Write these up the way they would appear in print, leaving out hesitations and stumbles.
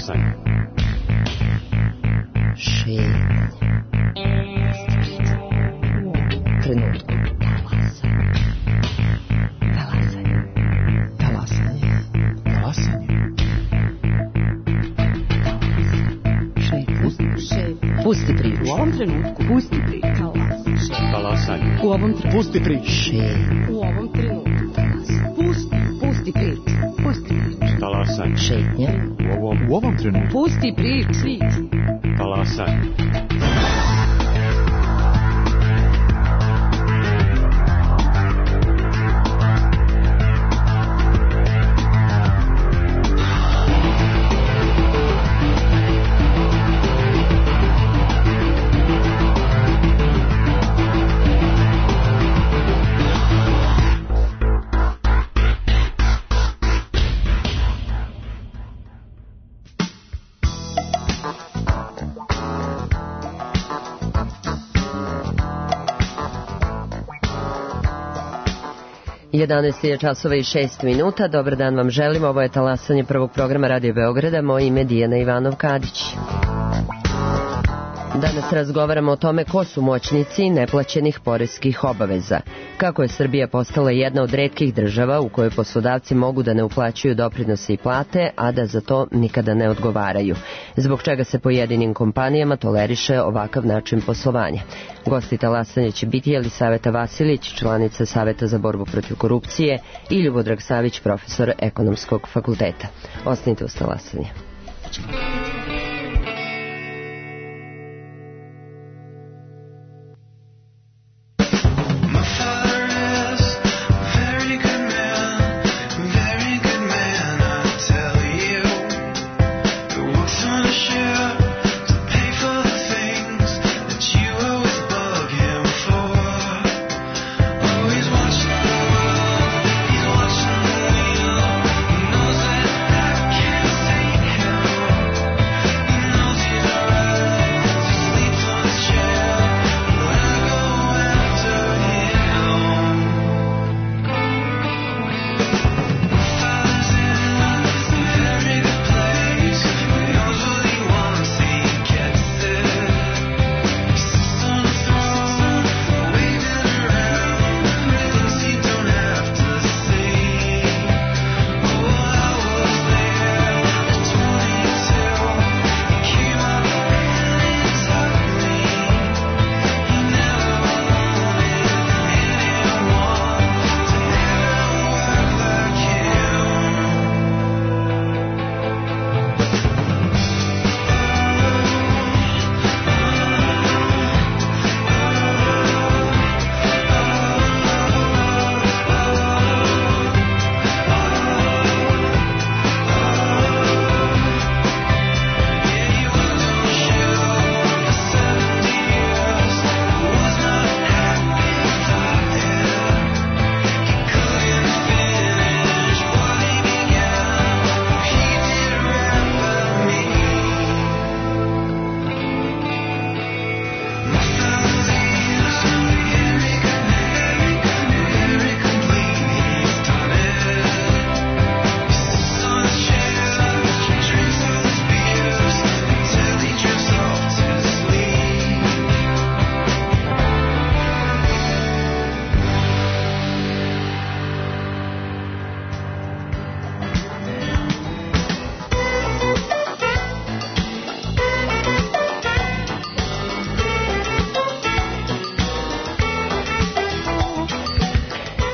Talasanje. Šetnje. Trenutku. Pusti priču. U ovom trenutku. Pusti priču. Talasanje. U ovom trenutku. Pusti priču. U ovom trenutku. Pusti priču. Pusti priču. Talasanje. Šetnja. U ovom trenutku. Pusti priču. Talasanje. Je časova i 6 minuta. Dobar dan vam želim. Ovo je talasanje prvog programa Radio Beograda. Moje ime je Dijana Ivanov-Kadić. Danas razgovaramo o tome ko su moćnici neplaćenih poreskih obaveza. Kako je Srbija postala jedna od retkih država u kojoj poslodavci mogu da ne uplaćuju doprinose i plate, a da za to nikada ne odgovaraju. Zbog čega se pojedinim kompanijama toleriše ovakav način poslovanja. Gosti talasanja će biti Jelisaveta Vasilić, članica Saveta za borbu protiv korupcije, i Ljubodrag Savić, profesor Ekonomskog fakulteta. Ostanite uz talasanje.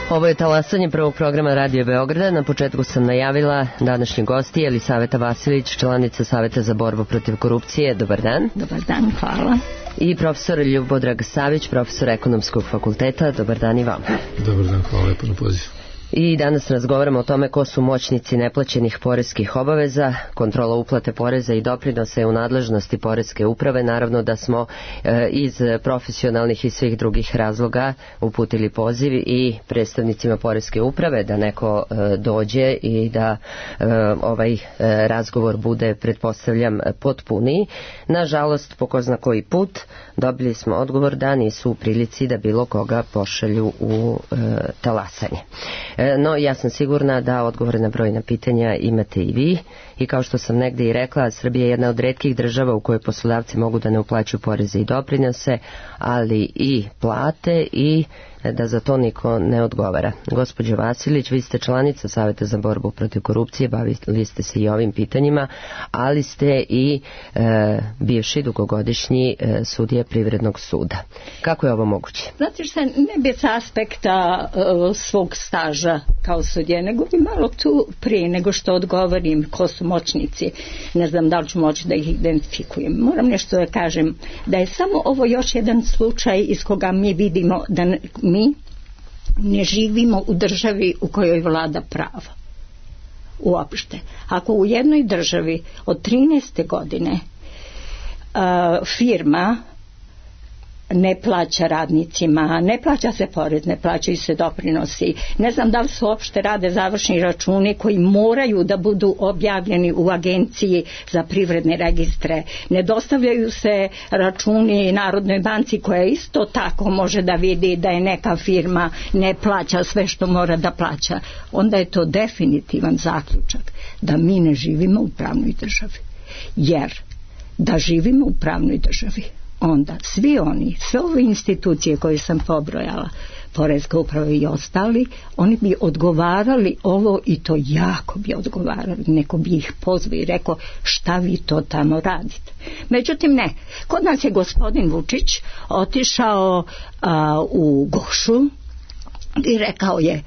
Ovo je talasanje prvog programa Radio Beograda. Na početku sam najavila današnji gosti Jelisaveta Vasilić, članica Saveta za borbu protiv korupcije. Dobar dan. Dobar dan, hvala. I profesor Ljubodrag Savić, profesor Ekonomskog fakulteta. Dobar dan i vam. Dobar dan, hvala lepo na pozivu. I danas razgovaramo o tome ko su moćnici neplaćenih poreskih obaveza. Kontrola uplate poreza i doprinosa je u nadležnosti poreske uprave. Naravno da smo iz profesionalnih i svih drugih razloga uputili poziv i predstavnicima poreske uprave da neko dođe i da ovaj razgovor bude, pretpostavljam, potpuniji. Nažalost, po ko zna koji put, dobili smo odgovor da nisu u prilici da bilo koga pošalju u talasanje. No, ja sam sigurna da odgovore na brojna pitanja imate i vi. I kao što sam negde i rekla, Srbija je jedna od retkih država u kojoj poslodavci mogu da ne uplaćuju poreze i doprinose, ali i plate i da za to niko ne odgovara. Gospođo Vasilić, vi ste članica Saveta za borbu protiv korupcije, bavili ste se i ovim pitanjima, ali ste i bivši dugogodišnji sudija Privrednog suda. Kako je ovo moguće? Znate šta, ne bi sa aspekta svog staža kao sudija, nego bi malo tu prije nego što odgovorim ko su moćnici, ne znam da li ću moći da ih identifikujem. Moram nešto da kažem, da je samo ovo još jedan slučaj iz koga mi vidimo da mi ne živimo u državi u kojoj vlada pravo. Uopšte. Ako u jednoj državi od 13. godine firma ne plaća radnicima, ne plaća se porez, ne plaćaju se doprinosi, ne znam da li se uopšte rade završni računi koji moraju da budu objavljeni u agenciji za privredne registre, ne dostavljaju se računi Narodnoj banci koja isto tako može da vidi da je neka firma ne plaća sve što mora da plaća, onda je to definitivan zaključak da mi ne živimo u pravnoj državi. Jer da živimo u pravnoj državi, onda sve ove institucije koje sam pobrojala, Poreska uprava i ostali, oni bi odgovarali ovo i to jako bi odgovarali. Neko bi ih pozvao i rekao šta vi to tamo radite. Međutim ne, kod nas je gospodin Vučić otišao u Gošu i rekao je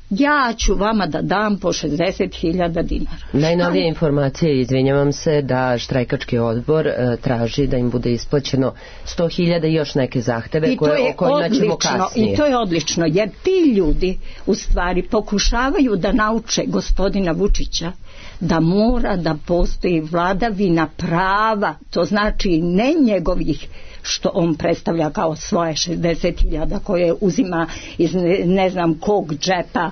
ja ću vama da dam po 60.000 dinara. Najnovije informacije, izvinjavam se, da štrajkački odbor traži da im bude isplaćeno 100.000 i još neke zahteve o kojima ćemo kasnije. I to je odlično, jer ti ljudi u stvari pokušavaju da nauče gospodina Vučića da mora da postoji vladavina prava, to znači ne njegovih što on predstavlja kao svoje 60.000 koje uzima iz ne znam kog džepa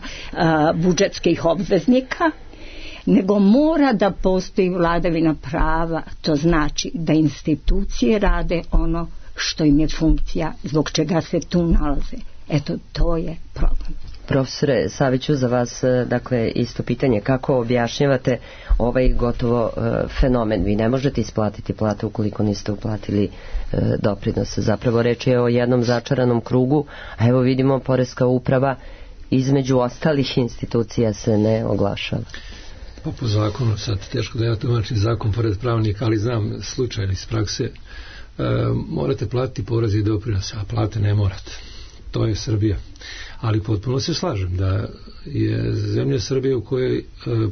budžetskih obveznika, nego mora da postoji vladavina prava, to znači da institucije rade ono što im je funkcija, zbog čega se tu nalaze. Eto, to je problem. Profesore Saviću, za vas dakle isto pitanje, kako objašnjavate ovaj gotovo fenomen? Vi ne možete isplatiti platu ukoliko niste uplatili doprinose. Zapravo reč je o jednom začaranom krugu, a evo vidimo Poreska uprava između ostalih institucija se ne oglašava. Pa po zakonu, sad teško da ja tumačim zakon pored pravnika, ali znam slučaj iz prakse, morate platiti porez i doprinose, a plate ne morate. To je Srbija. Ali potpuno se slažem da je zemlja Srbije u kojoj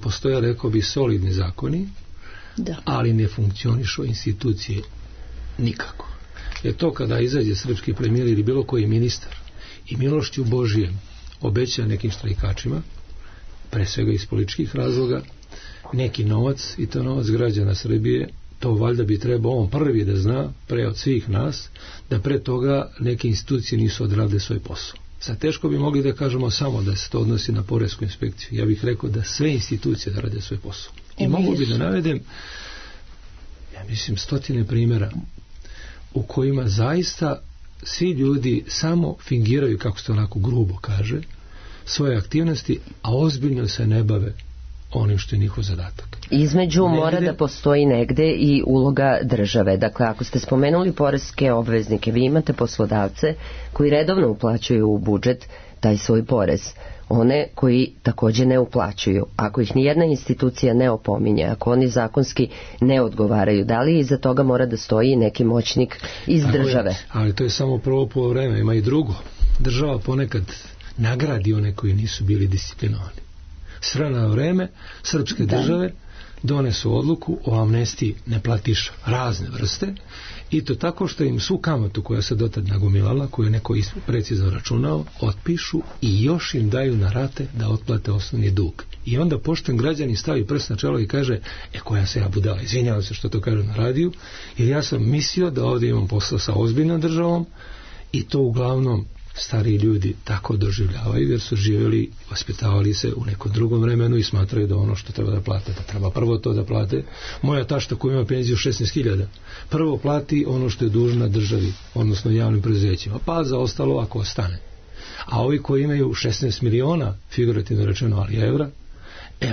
postoje, rekao bi, solidni zakoni, da, ali ne funkcionišu institucije nikako. Jer to kada izađe srpski premijer ili bilo koji ministar i milošću Božijem obeća nekim štrajkačima, pre svega iz političkih razloga, neki novac, i to novac građana Srbije, to valjda bi trebao on prvi da zna, pre od svih nas, da pre toga neke institucije nisu odradile svoj posao. Sad teško bi mogli da kažemo samo da se to odnosi na poresku inspekciju. Ja bih rekao da sve institucije da rade svoj posao. I mogu bi da navedem, ja mislim, 100 primjera u kojima zaista svi ljudi samo fingiraju, kako se to onako grubo kaže, svoje aktivnosti, a ozbiljno se ne bave onim što je njihov zadatak. Između mora da postoji negde i uloga države. Dakle, ako ste spomenuli poreske obveznike, vi imate poslodavce koji redovno uplaćuju u budžet taj svoj porez. One koji također ne uplaćuju. Ako ih nijedna institucija ne opominje, ako oni zakonski ne odgovaraju, da li iza toga mora da stoji neki moćnik iz države? Ali to je samo prvo vreme, ima i drugo. Država ponekad nagradi one koji nisu bili disciplinovani. Srana vreme srpske države donesu odluku o amnestiji neplatiša razne vrste, i to tako što im svu kamatu koja se dotad nagomilala, koju je neko precizno računao, otpišu i još im daju na rate da otplate osnovni dug. I onda pošten građanin stavi prst na čelo i kaže, koja se ja budala, izvinjavam se što to kažem na radiju, jer ja sam mislio da ovdje imam posla sa ozbiljnom državom, i to uglavnom stariji ljudi tako doživljavaju, jer su živjeli, vaspitavali se u nekom drugom vremenu i smatraju da ono što treba da plate, da treba prvo to da plate. Moja tašta koja ima penziju 16.000 prvo plati ono što je dužna državi, odnosno javnim preduzećima, pa za ostalo ako ostane. A ovi koji imaju 16 miliona, figurativno rečeno, ali evra,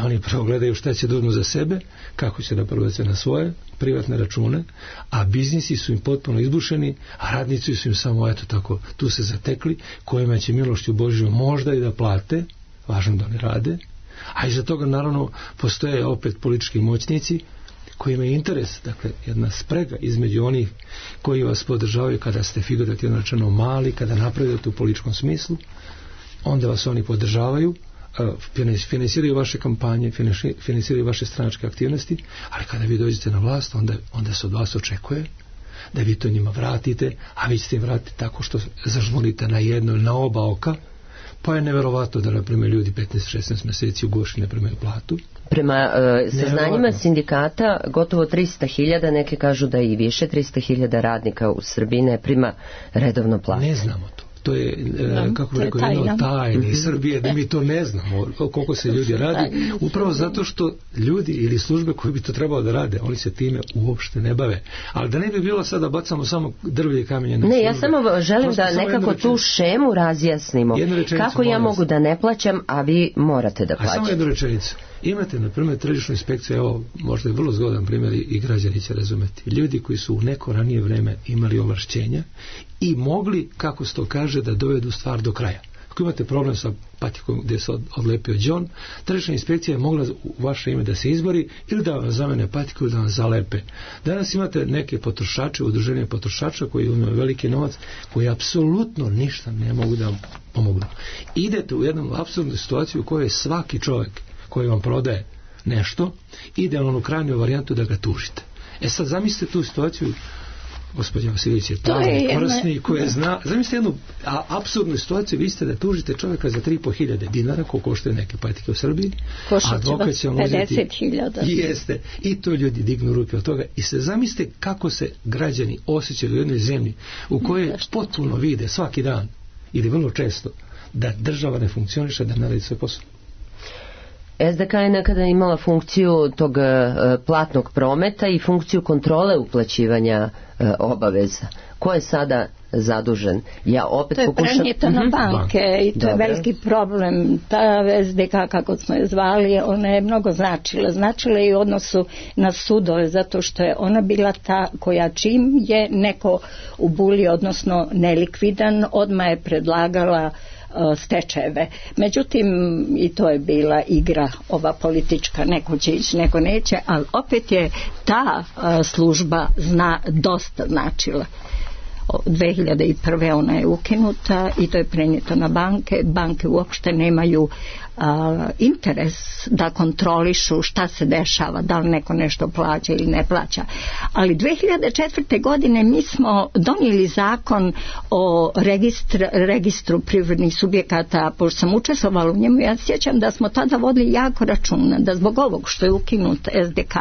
oni prvo gledaju šta će da uzmu za sebe, kako će da probace na svoje privatne račune, a biznisi su im potpuno izbušeni, a radnici su im samo, eto tako, tu se zatekli, kojima će milošću Božjom možda i da plate, važno da ne rade, a iza toga naravno postoje opet politički moćnici koji imaju interes, dakle jedna sprega između onih koji vas podržavaju kada ste figurativno rečeno mali, kada napredujete u političkom smislu, onda vas oni podržavaju, finansiraju vaše kampanje, finansiraju vaše stranačke aktivnosti, ali kada vi dođete na vlast, onda se od vas očekuje da vi to njima vratite, a vi ćete im vratiti tako što zažmurite na jedno ili na oba oka, pa je neverovatno da, na primjer, ljudi 15-16 meseci u Goši ne primaju platu. Prema saznanjima sindikata, gotovo 300.000, neke kažu da i više, 300.000 radnika u Srbiji ne prima redovno platu. Ne znamo to. To je, kako bi rekao, jedno od tajni Srbije, da mi to ne znamo koliko se ljudi radi, upravo zato što ljudi ili službe koji bi to trebalo da rade, oni se time uopšte ne bave. Ali da ne bi bilo sada bacamo samo drvlje i kamenje na službe. Ne, ja samo želim da nekako tu šemu razjasnimo. Kako ja mogu da ne plaćam, a vi morate da plaćate. A samo jednu rečenicu. Imate, na primjer, tržišnu inspekciju, evo, možda je vrlo zgodan primjer i građani će razumeti. Ljudi koji su u neko ranije vreme imali ovlašćenja i mogli, kako se to kaže, da dovedu stvar do kraja. Ako imate problem sa patikom gdje se odlepio John, tržišna inspekcija je mogla u vaše ime da se izbori ili da vam zamene patiku ili da vam zalepe. Danas imate neke potrošače, udruženje potrošača koji imaju veliki novac, koji apsolutno ništa ne mogu da vam pomognu. Idete u jednu apsurdnu situaciju u kojoj svaki čovjek koji vam prodaje nešto, ide u krajnju varijantu da ga tužite. Sad zamislite tu situaciju, gospođa Vasilić je pravnik, korisni, koja zna, zamislite jednu apsurdnu situaciju, vi ste da tužite čovjeka za 3.500 dinara, koliko koštaju neke patike u Srbiji, a advokat će vam uzeti 50.000. Jeste, i to ljudi dignu ruke od toga i se zamislite kako se građani osjećaju u jednoj zemlji u kojoj potpuno vide svaki dan ili vrlo često da država ne funkcioniše, da ne radi svoj posao. SDK je nekada imala funkciju tog platnog prometa i funkciju kontrole uplaćivanja obaveza. Ko je sada zadužen? Ja opet to je prenijeto na banke i to je veliki problem. Ta SDK, kako smo je zvali, ona je mnogo značila i u odnosu na sudove, zato što je ona bila ta koja čim je neko ubuli, odnosno nelikvidan, odmah je predlagala stečajeve. Međutim, i to je bila igra ova politička, neko će ići, neko neće, ali opet je ta služba dosta značila. 2001. ona je ukinuta i to je prenijeto na banke. Banke uopšte nemaju interes da kontrolišu šta se dešava, da li neko nešto plaća ili ne plaća. Ali 2004. godine mi smo donijeli zakon o registru privrednih subjekata, pošto sam učestvovala u njemu, ja sjećam da smo tada vodili jako računa, da zbog ovog što je ukinut SDK,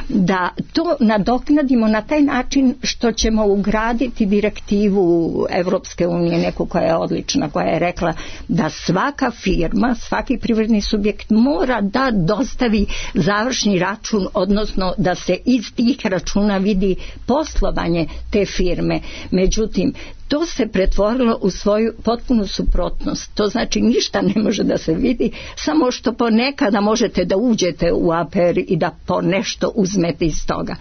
da to nadoknadimo na taj način što ćemo ugraditi direktivu Evropske unije, neku koja je odlična, koja je rekla da svaka firma, svaki privredni subjekt mora da dostavi završni račun, odnosno da se iz tih računa vidi poslovanje te firme. Međutim, to se pretvorilo u svoju potpunu suprotnost. To znači ništa ne može da se vidi, samo što ponekada možete da uđete u APR i da po nešto uzmete iz toga.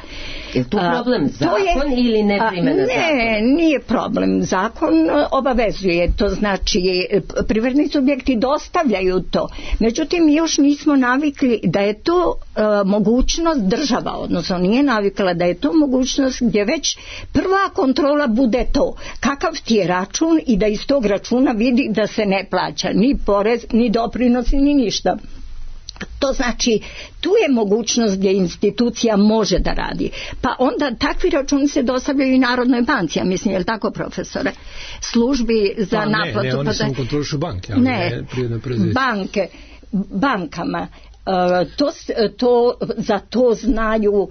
Je tu problem zakon ili ne primjena zakona? Ne, nije problem. Zakon obavezuje. To znači privredni subjekti dostavljaju to. Međutim, još nismo navikli da je to mogućnost država, odnosno nije navikla da je to mogućnost gdje već prva kontrola bude to. Kakav ti je račun i da iz tog računa vidi da se ne plaća ni porez, ni doprinosi, ni ništa. To znači, tu je mogućnost gdje institucija može da radi. Pa onda takvi računi se dostavljaju i Narodnoj banci, ja mislim, je li tako, profesore? Službi za naplatu. Ne, oni samo kontrolišu banke, ali ne privatne preduzeća. Bankama. Za to znaju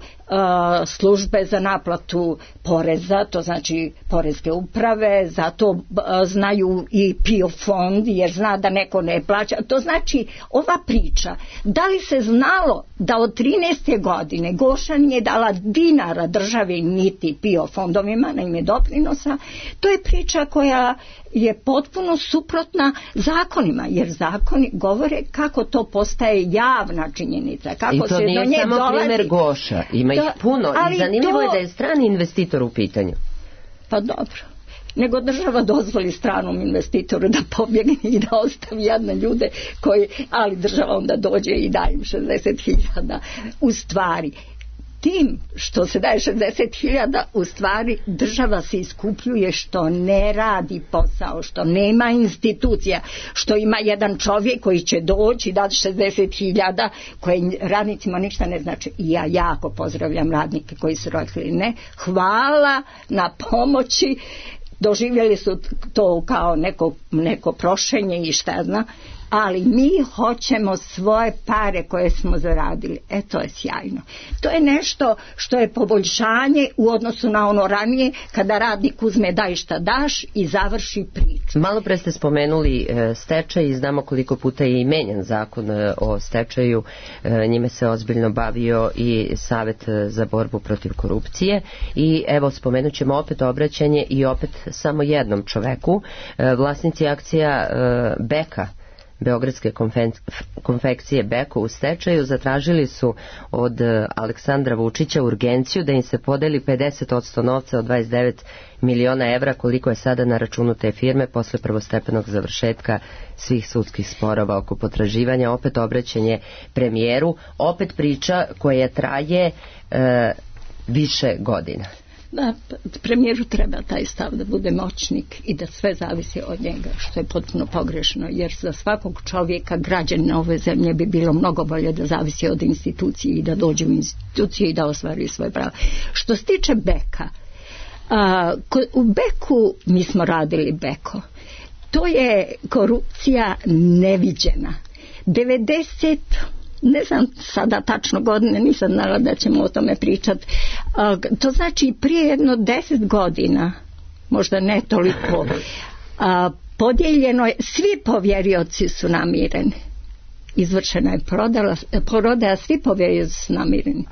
službe za naplatu poreza, to znači poreske uprave, zato znaju i PIO fond jer zna da neko ne plaća. To znači ova priča, da li se znalo da od 13. godine Goša nije dala dinara državi niti PIO fondovima na ime doprinosa, to je priča koja je potpuno suprotna zakonima, jer zakoni govore kako to postaje javna činjenica, kako i to se nije do nje samo dolazi. primer Goša, ima ih puno i zanimljivo je da je strani investitor u pitanju. Pa dobro, nego država dozvoli stranom investitoru da pobjegne i da ostavi jadne ljude ali država onda dođe i daje im 60.000 u stvari. Tim što se daje 60.000 u stvari država se iskupljuje što ne radi posao, što nema institucija, što ima jedan čovjek koji će doći i dati 60.000 koje radnicima ništa ne znači. I ja jako pozdravljam radnike koji su rekli ne, hvala na pomoći, doživjeli su to kao neko prošenje i šta zna, ali mi hoćemo svoje pare koje smo zaradili. To je sjajno. To je nešto što je poboljšanje u odnosu na ono ranije kada radnik uzme daj šta daš i završi priču. Malo pre ste spomenuli stečaj i znamo koliko puta je i menjan zakon o stečaju. Njime se ozbiljno bavio i Savet za borbu protiv korupcije i evo spomenut ćemo opet obraćanje i opet samo jednom čoveku. Vlasnici akcija Beka, Beogradske konfekcije Beko u stečaju, zatražili su od Aleksandra Vučića urgenciju da im se podeli 50% novca od 29 miliona evra koliko je sada na računu te firme posle prvostepenog završetka svih sudskih sporova oko potraživanja. Opet obraćanje premijeru, opet priča koja traje više godina. Da, premijeru treba taj stav da bude moćnik i da sve zavisi od njega, što je potpuno pogrešno, jer za svakog čovjeka, građanina ove zemlje bi bilo mnogo bolje da zavisi od institucije i da dođe u institucije i da ostvari svoje pravo. Što se tiče Beka, u Beku mi smo radili Beko. To je korupcija neviđena. 90, ne znam sada tačno godine, nisam znala da ćemo o tome pričati. To znači prije jedno 10 godina, možda ne toliko, podijeljeno je, svi povjerioci su namireni. Izvršena je prodaja, svi povjerioci su namireni.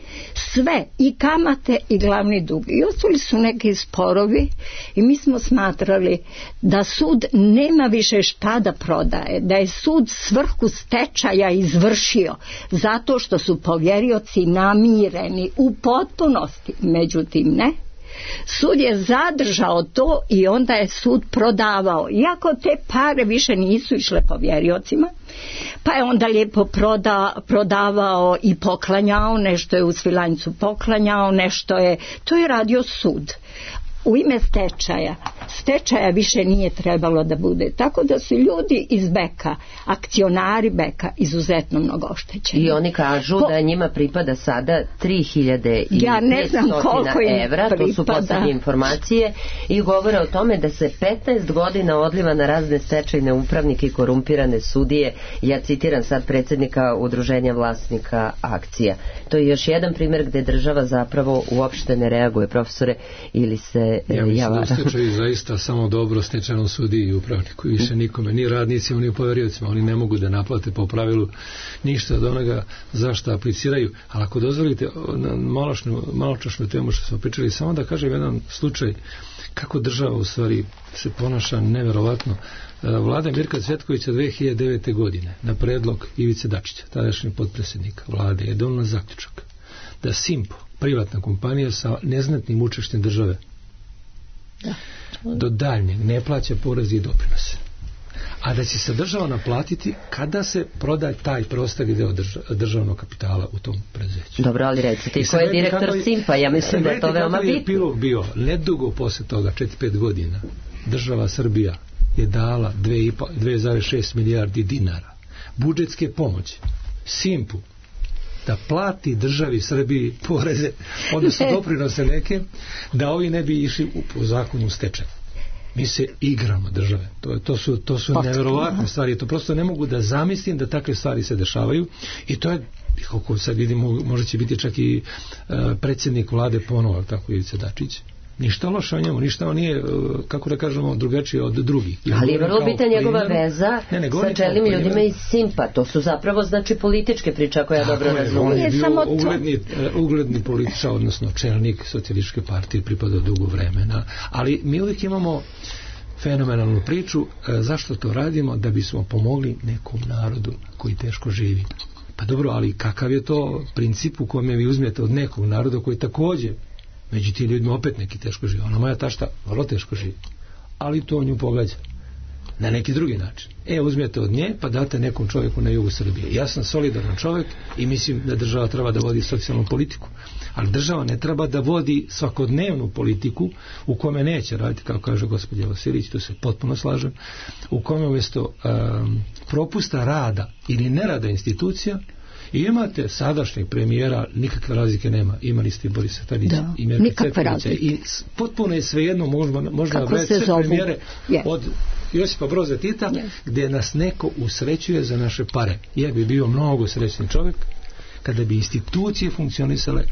Sve, i kamate i glavni dug. I ostali su neki sporovi i mi smo smatrali da sud nema više šta da prodaje, da je sud svrhu stečaja izvršio zato što su povjerioci namireni u potpunosti. Međutim, ne. Sud je zadržao to i onda je sud prodavao. Iako te pare više nisu išle povjeriocima, pa je onda lijepo prodavao i poklanjao, nešto je u Svilajncu poklanjao, to je radio sud. U ime stečaja više nije trebalo da bude. Tako da su ljudi iz Beka, akcionari Beka, izuzetno mnogo oštećeni. I oni kažu da njima pripada sada 3.500 evra, to su poslednje informacije, i govore o tome da se 15 godina odliva na razne stečajne upravnike i korumpirane sudije. Ja citiram sad predsjednika Udruženja vlasnika akcija. To je još jedan primjer gde država zapravo uopšte ne reaguje, profesore, ili se ja mislim da u stečaju zaista samo dobro stečajnom sudiji i upravniku, više nikome, ni radnicima, ni poveriocima. Oni ne mogu da naplate po pravilu ništa od onoga za što apliciraju. Ali ako dozvolite, maločašnju temu što smo pričali, samo da kažem jedan slučaj kako država u stvari se ponaša neverovatno. Vlada Mirka Cvetkovića 2009. godine na predlog Ivice Dačića, tadašnjeg potpredsjednika vlade, je donela zaključak da Simpo, privatna kompanija sa neznatnim učešćem države, do daljnjeg ne plaća porez i doprinose, a da će se država naplatiti kada se proda taj preostali deo državnog kapitala u tom preduzeću. Dobro, ali recite, ko je direktor Simpa? Ja mislim da je to veoma bitno. Kako je epilog bio? Nedugo posle toga, 4-5 godina, država Srbija je dala 2,6 milijardi dinara budžetske pomoći Simpu da plati državi Srbiji poreze, odnosno doprinose neke, da ovi ne bi išli u zakonu stečaja. Mi se igramo države. To su neverovatne stvari. To prosto ne mogu da zamislim da takve stvari se dešavaju i to je Kako sad vidimo, možda će biti čak i predsjednik vlade ponovo, tako Ivica Dačić. Ništa loše o njemu, ništa on nije, kako da kažemo, drugačije od drugih. Ali je vrlo bitna njegova veza sa čelnim ljudima iz Simpa. To su zapravo, znači, političke priče, ako ja dobro razumijem. On je bio ugledni političar, odnosno čelnik Socijalističke partije, pripadao dugo vremena. Ali mi uvijek imamo fenomenalnu priču. Zašto to radimo? Da bismo pomogli nekom narodu koji teško živi. Pa dobro, ali kakav je to princip u kome vi uzmete od nekog naroda koji također među tim ljudima opet neki teško živi. Ona moja tašta vrlo teško živi. Ali to nju pogađa. Na neki drugi način. Uzmete od nje pa date nekom čovjeku na jugu Srbije. Ja sam solidaran čovjek i mislim da država treba da vodi socijalnu politiku. Ali država ne treba da vodi svakodnevnu politiku u kome neće raditi, kao kaže gospođa Vasilić, tu se potpuno slažem, u kome umjesto propusta rada ili nerada institucija i imate sadašnjeg premijera, nikakve razlike nema. Imali ste i Borisa Tadića i Mirka Cvetkovića i potpuno je svejedno možda nabrati sve premijere od Josipa Broza Tita, gdje nas neko usrećuje za naše pare. Ja bi bio mnogo srećni čovjek kada bi institucije funkcionisale,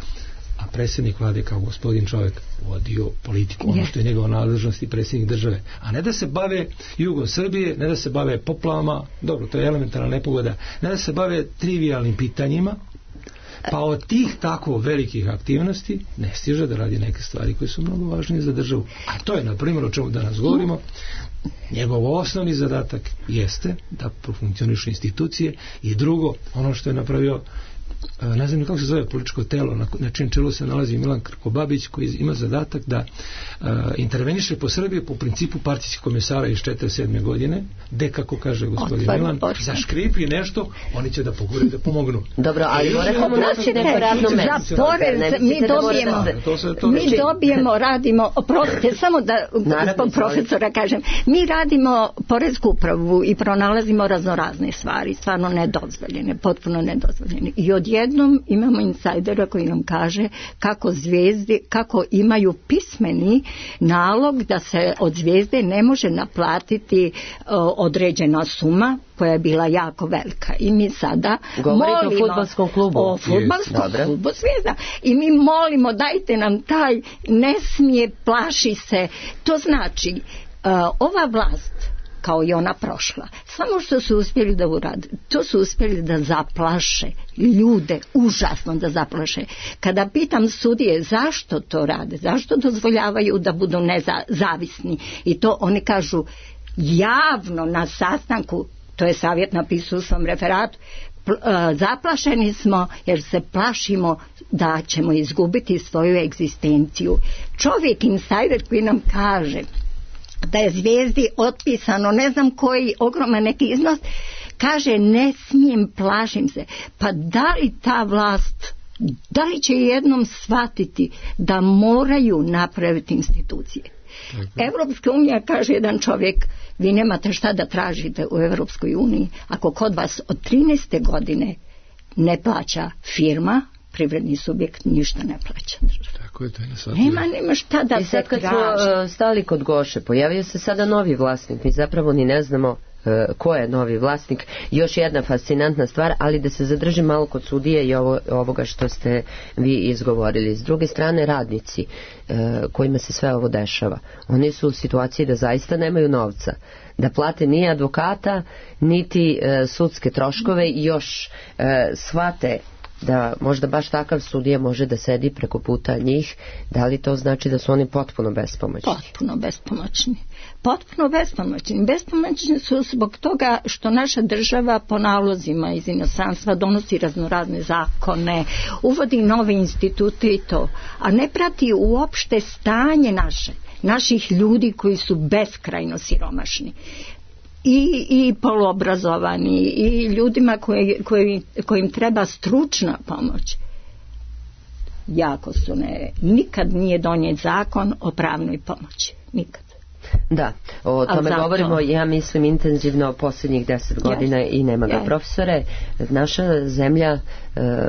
a predsjednik vlade kao gospodin čovjek vodio politiku, ono što je njegova nadležnost i predsjednik države, a ne da se bave jugom Srbije, ne da se bave poplavama, dobro, to je elementarna nepogoda, ne da se bave trivijalnim pitanjima, pa od tih tako velikih aktivnosti ne stiže da radi neke stvari koje su mnogo važnije za državu. A to je, na primjer, o čemu danas govorimo. Njegov osnovni zadatak jeste da profunkcionišu institucije i drugo, ono što je napravio, ne znam kako se zove političko telo, na čim čelu se nalazi Milan Krkobabić, koji ima zadatak da interveniše po Srbiji po principu partijskih komesara iz 47. godine, gde, kako kaže gospodin Milan, zaškripi nešto, oni će da pogure da pomognu. Dobro, ali moramo naći neko radno mesto. Za porez mi dobijemo, radimo, oprostite, samo da profesora kažem, mi radimo poresku upravu i pronalazimo raznorazne stvari, stvarno nedozvoljene, potpuno nedozvoljene. I odjednom imamo insajdera koji nam kaže kako imaju pismeni nalog da se od Zvijezde ne može naplatiti određena suma koja je bila jako velika. I mi sada govorite o fudbalskom klubu. O fudbalskom klubu Zvijezda. I mi molimo, dajte nam taj, ne smije, plaši se. To znači, ova vlast, kao i ona prošla, samo što su uspjeli da urade, to su uspjeli da zaplaše ljude, užasno da zaplaše. Kada pitam sudije zašto to rade, zašto dozvoljavaju da budu nezavisni, i to oni kažu javno na sastanku, to je savjet napisao u svom referatu, zaplašeni smo jer se plašimo da ćemo izgubiti svoju egzistenciju. Čovjek insajder koji nam kaže da je Zvijezdi otpisano ne znam koji ogroman neki iznos, kaže ne smijem, plašim se. Pa da li ta vlast, da li će jednom shvatiti da moraju napraviti institucije? Evropska unija, kaže jedan čovjek, vi nemate šta da tražite u Evropskoj uniji ako kod vas od 13. godine ne plaća firma, privredni subjekt ništa ne plaća. Tako je, to je nema šta da se traži. I sad kad smo stali kod Goše, pojavio se sada novi vlasnik, mi zapravo ni ne znamo ko je novi vlasnik. Još jedna fascinantna stvar, ali da se zadrži malo kod sudije i ovoga što ste vi izgovorili. S druge strane, radnici kojima se sve ovo dešava, oni su u situaciji da zaista nemaju novca, da plate ni advokata, niti sudske troškove i još shvate da možda baš takav sudija može da sedi preko puta njih. Da li to znači da su oni potpuno bespomoćni? Potpuno bespomoćni. Potpuno bespomoćni. Bespomoćni su zbog toga što naša država po nalozima iz inostranstva donosi raznorazne zakone, uvodi nove institute i to, a ne prati uopšte stanje naših ljudi koji su beskrajno siromašni. I poluobrazovani i ljudima kojim treba stručna pomoć. Jako su nikad nije donijet zakon o pravnoj pomoći. Nikad. Da, o tome govorimo, ja mislim, intenzivno posljednjih 10 godina i nema ga. Profesore, naša zemlja,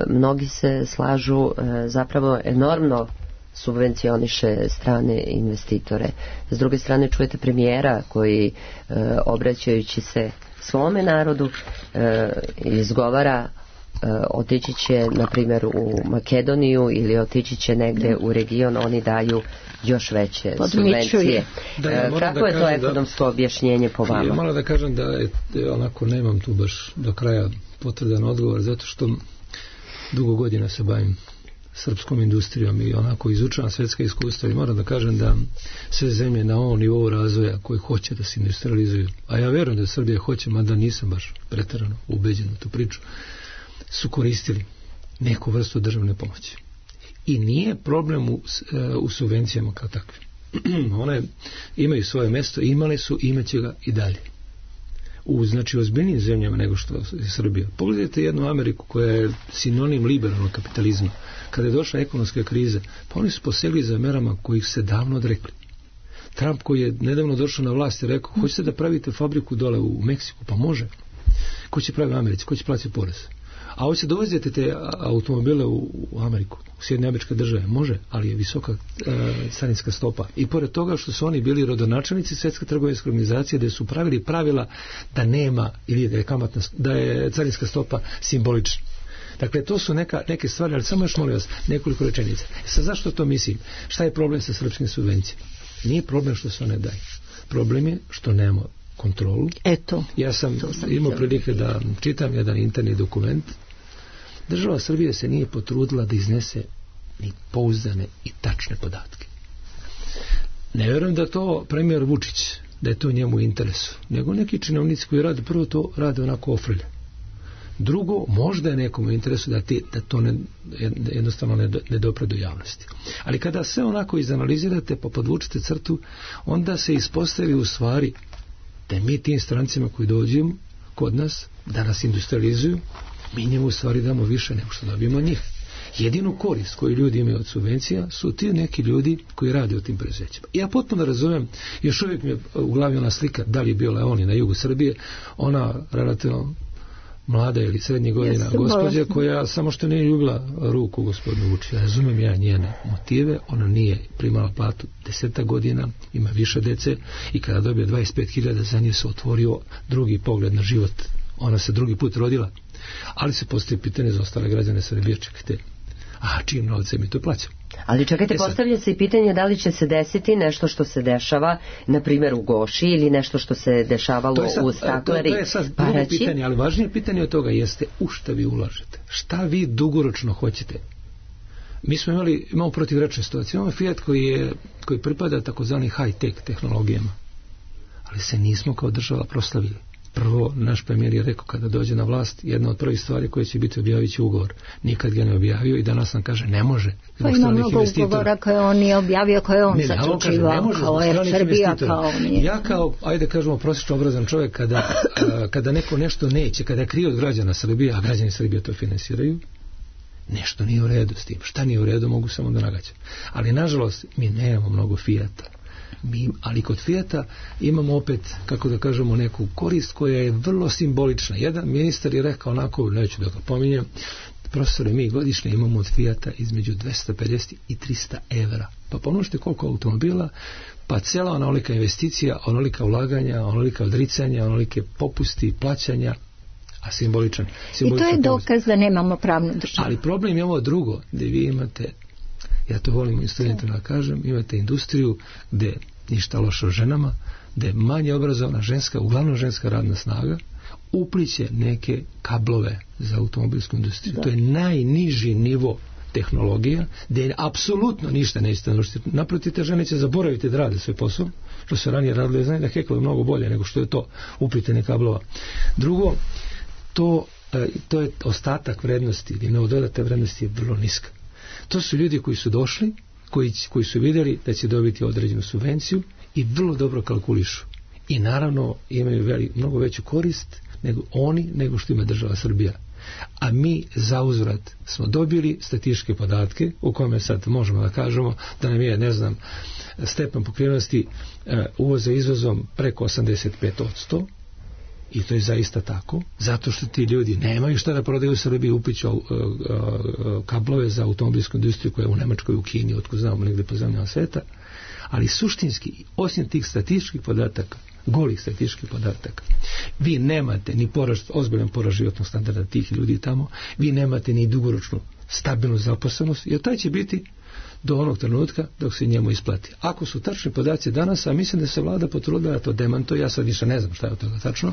mnogi se slažu, zapravo enormno subvencioniše strane investitore. S druge strane čujete premijera koji obraćajući se svome narodu izgovara otići će na primjer u Makedoniju ili otići će negde u region, oni daju još veće subvencije. Kako je to ekonomsko objašnjenje po vama? Ja malo da kažem da onako nemam tu baš do kraja potvrdan odgovor, zato što dugo godina se bavim srpskom industrijom i onako izučavam svjetska iskustva i moram da kažem da sve zemlje na ovom nivou razvoja koji hoće da se industrializuju, a ja vjerujem da Srbija hoće, mada nisam baš preterano ubeđen u tu priču, su koristili neku vrstu državne pomoći. I nije problem u subvencijama kao takve. One imaju svoje mjesto, imale su, imaće ga i dalje. Znači ozbiljnijim zemljama nego što je Srbija. Pogledajte jednu Ameriku koja je sinonim liberalnog kapitalizma. Kada je došla ekonomska kriza, pa oni su posegli za merama kojih se davno odrekli. Trump koji je nedavno došao na vlast je rekao, hoćete da pravite fabriku dole u Meksiku? Pa može. Ko će praviti u Americi? Ko će platiti porez? A hoće dovozite te automobile u Ameriku, u Sjedinjene Američke Države? Može, ali je visoka carinska stopa. I pored toga što su oni bili rodonačelnici Svjetske trgovinske organizacije, gdje su pravili pravila da nema ili da je carinska stopa simbolična. Dakle, to su neke stvari, ali samo još molim vas nekoliko rečenica. Sad zašto to mislim? Šta je problem sa srpskim subvencijama? Nije problem što se one daju. Problem je što nemamo kontrolu. Ja sam imao prilike da čitam jedan interni dokument. Država Srbije se nije potrudila da iznese ni pouzdane i tačne podatke. Ne vjerujem da to premijer Vučić, da je to njemu u interesu, nego neki činovnici koji rade, prvo to rade onako ofrlje. Drugo, možda je nekom u interesu da to jednostavno ne dopre do javnosti. Ali kada sve onako izanalizirate pa podvučete crtu, onda se ispostavi u stvari da mi tim strancima koji dođemo kod nas, da nas industrializuju, mi njemu u stvari damo više nego što dobijemo od njih. Jedinu korist koju ljudi imaju od subvencija su ti neki ljudi koji rade u tim preduzećima. Ja potpuno razumem, još uvijek mi je u glavi ona slika, da li je bio Leoni na jugu Srbije, ona relativno mlada ili srednjih godina gospođa koja samo što nije ljubila ruku gospodinu Vučića. Razumem ja njene motive, ona nije primala platu 10 godina, ima više dece i kada dobije 25.000 za nje se otvorio drugi pogled na život. Ona se drugi put rodila, ali se postoji pitanje za ostale građane Srbije, čekajte, čijim novcem mi to plaćamo? Ali čekajte, postavlja se i pitanje da li će se desiti nešto što se dešava, na primjer u Goši, ili nešto što se dešavalo u Stakleri. To je sad drugo pitanje, ali važnije pitanje od toga jeste u šta vi ulažete. Šta vi dugoročno hoćete? Mi smo imamo protivrečne situacije. Imamo Fiat koji pripada takozvani high-tech tehnologijama, ali se nismo kao država proslavili. Prvo, naš premijer je rekao kada dođe na vlast, jedna od prvih stvari koje će biti objavit će ugovor. Nikad ga ne objavio i danas nam kaže ne može. Pa ima mnogo ugovora koje on nije objavio, koje on zaključivao kao Srbija, kao nije. Ja kao, ajde kažemo, prosječno obrazan čovjek, kada neko nešto neće, kada je krio od građana Srbije, a građani Srbije to finansiraju, nešto nije u redu s tim. Šta nije u redu, mogu samo da nagađam. Ali nažalost, mi nemamo mnogo Fijata. Ali kod Fijata imamo opet, kako da kažemo, neku korist koja je vrlo simbolična. Jedan ministar je rekao onako, neću da ga pominjem, profesore, mi godišnje imamo od Fijata između 250 i 300 evra. Pa pomnožite koliko automobila, pa cijela onolika investicija, onolika ulaganja, onolika odricanja, onolike popusti, plaćanja, a simboličan. I to je dokaz da nemamo pravnu državu. Ali problem je ovo drugo, gdje vi imate, ja to volim studentima da kažem, imate industriju gdje ništa loše o ženama, gdje manje obrazovana ženska, uglavnom ženska radna snaga, upliće neke kablove za automobilsku industriju. Da. To je najniži nivo tehnologija, gdje apsolutno ništa nećete naučiti. Naprotiv, te žene će zaboraviti da rade svoj posao, što se ranije radilo, znaju da heklo je mnogo bolje nego što je to uplitanje kablova. Drugo, to je ostatak vrednosti, ili neododate vrednosti je vrlo niska. To su ljudi koji su došli, koji su vidjeli da će dobiti određenu subvenciju i vrlo dobro kalkulišu. I naravno imaju mnogo veću korist nego što ima država Srbija. A mi za uzvrat smo dobili statističke podatke u kome sad možemo da kažemo da nam je, stepen pokrivenosti uvoza izvozom preko 85%. I to je zaista tako, zato što ti ljudi nemaju šta da prodaju u Srbiji, upliću kablove za automobilsku industriju koja je u Nemačkoj, u Kini, otko znamo negdje po zemljama sveta, ali suštinski, osim tih statističkih podataka, golih statističkih podataka. Vi nemate ni ozbiljan porast životnog standarda tih ljudi tamo, vi nemate ni dugoročnu stabilnu zaposlenost, jer taj će biti do onog trenutka dok se njemu isplati. Ako su tačni podaci danas, a mislim da se vlada potrudila da to demantuje, ja sad više ne znam šta je od toga tačno,